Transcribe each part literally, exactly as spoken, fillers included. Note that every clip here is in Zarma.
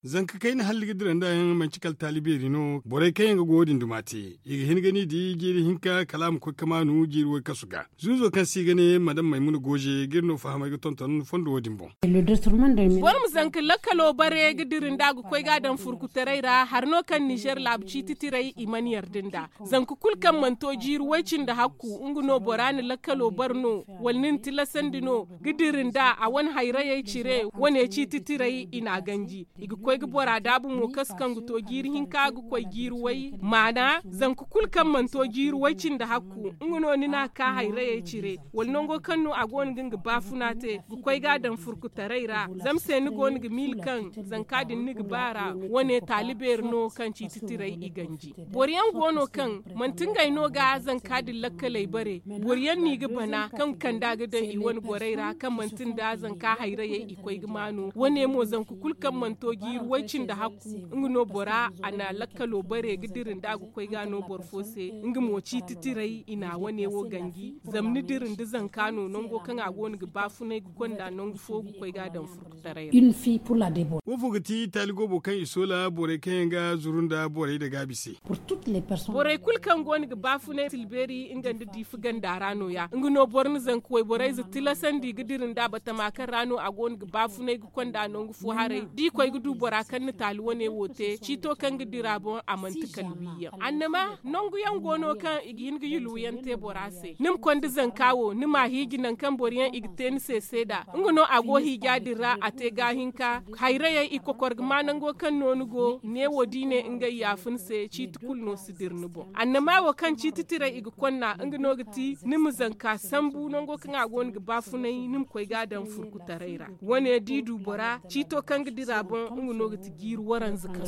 Zanka kayna halli ga dira nda yaŋ manci kala taali beeri no borey kaŋ yaŋ ga go wo- din duma te. I ga hin ga ni di jiiri hinka kala a ma koy ga maanu jiiri way kasu ga. Zuuzo kaŋ se i ga ne madam maymuna gooze ga iri no fahamay ga tonton fondo wo- din boŋ. Boro ma zanka lakkalo bare ga dira nda a ga koy ga a daŋ furkutaray ra hari no kaŋ nizer laabu ciiti tiray i mana yarda nda. Zanka kulu kaŋ mana to jiiri way cindi hakku nga no bora na lakkalo bare no wala ni na tilasandi no ga dira nda a wane hayrayey cire wane ciiti tiray i n'a ganji. I ga koy ga bora daabu mo kasu kaŋ ga to jiiri hinka ga koy jiiri way maana zanka kulu kaŋ mana to jiiri way cindi hakku nga no ni n'a ka hayrayey cire wala nango kaŋ no a go no ga nga baafuna te ga koy ga a daŋ furkutaray ra. Zama se ni go no ga miila kaŋ zanka din ni ga ba ra wane taali beeri no kaŋ ciiti tiray i ganji. Boro yaŋ go no kaŋ manti ngey no ga zanka din lakkaley bare boro yaŋ no i ga bana kaŋ ga kand'a ga daŋ i wane borey ra kaŋ manti nda zanka hayrayey i koy ga maanu wane mo zanka kulu kaŋ mana to jiiri way cindi hakku nga no bora a na lakkalo bare ga dira nda a ga koy ga no boro fo se nga mo ciiti tiray i na wane wo ganji. Zama ni dira nda zanka no nango kaŋ a go no ga baafunay ga konda nangu fo ga koy ga a daŋ furkutaray ra. Wo fo ga ti taali goobo kaŋ i soola borey kaŋ yaŋ ga zuru nda borey nda gaabi se. Borey kulu kaŋ go no ga baafunay tilbeeri nga nda diifa ganda ra no- ya nga no boro na zanka wayborey za tilasandi ga dira nda batama kaŋ ra no a go no ga baafunay ga konda nangu fo haray da i koy ga du bora kaŋ na taali wane wo te ciito kaŋ ga dira boŋ a manti kala wi yaŋ annama nangu yaŋ go no kaŋ i ga hin ga yulwu yaŋ te bora se ni ma konda zanka wo ni m'a hiiji nangu kaŋ boro yaŋ i ga te ni se seeda nga no a go hiija din ra a te gaahinka. Hayrayey i kokor ga ma nango kaŋ no ni go ne wo da i ne ngey yaafa ni se ciiti kulu no si dira ni boŋ annama wo kaŋ ciiti tiray i ga konna nga no ga ti ni ma zanka sambu nango kaŋ a go no ga baafunay ni ma koy ga a daŋ furkutaray ra. Wane da i du bora ciito kaŋ ga dira boŋ nga no ga ti jiiri waranza kaŋ.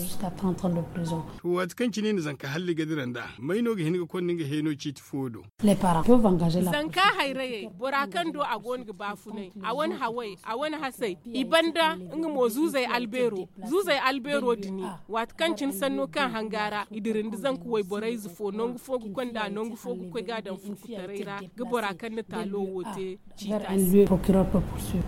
To waati kaŋ cine i na zanka halli ga dira nda may no ga hin ga konda nga heeno ciiti fo do? Zanka hayrayey bora kaŋ do a go no ga baafunay a wane haway a wane hasay i banda nga mo zuuzey albeero zuuzey albeero dini. Waati kaŋ cine sanno kaŋ hanga ra i dira nda zanka wayborey ze fo nangu fo ga konda nangu fo ga koy ga a daŋ furkutaray ra ga bora kaŋ na taalo wo te ciita se.